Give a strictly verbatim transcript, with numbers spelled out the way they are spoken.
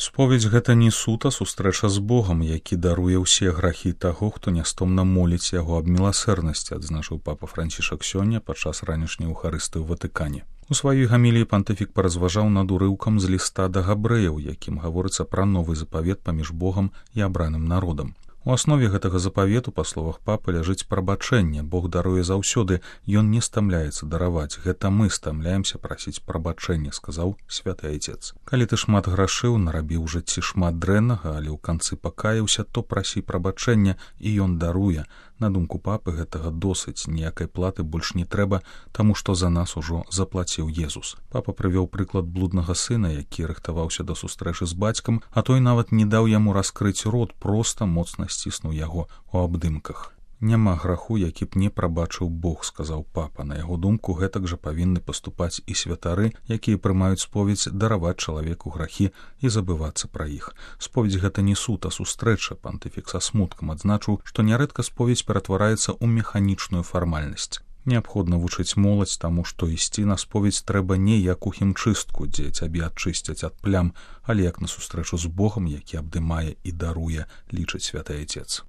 Споведь гэта не суд, а сустрэча з Богам, які даруе ўсе грахі таго, хто нястомна моліць яго аб міласэрнасці, адзначыў папа Францішак сёння падчас ранішняй эўхарыстыі ў Ватыкане. У сваёй гаміліі пантыфік паразважаў над урыўкам з ліста да габрэяў, якім гаворыцца пра новы запавет паміж Богам і абраным народам. У аснове гэтага запавету, па словах папы, ляжыць прабачэнне. Бог даруе заўсёды, ён не стамляецца дараваць. Гэта мы стамляемся прасіць прабачэння, сказаў святы айцец. Калі ты шмат грашыў, нарабіў у жыцці шмат дрэннага, але ў канцы пакаяўся, то прасі прабачэння, і ён даруе. На думку папы, гэтага досыць, ніякай платы больш не трэба, таму што за нас ужо заплаціў Езус. Папа прывёў прыклад блуднага сына, які рыхтаваўся да сустрэчы з бацькам, а той нават не даў яму раскрыць рот, проста моцна сціснуў яго ў абдымках. Няма граху, які б не прабачыў Бог, сказаў папа. На яго думку, гэтак жа павінны паступаць і святары, якія прымаюць споведь дараваць чалавеку грахі і забывацца пра іх. Споведь гэта не суд, а сустрэча. Пантыфік са смуткам адзначыў, што нярэдка споведь ператвараецца ў механічную фармальнасць. Неабходна вучыць моладзь таму, што ісці на споведь трэба не як у хімчыстку, дзе цябе адчысцяць ад плям, але як на сустрэчу з Богам, які абдымае і даруе, лічыць святы айцец.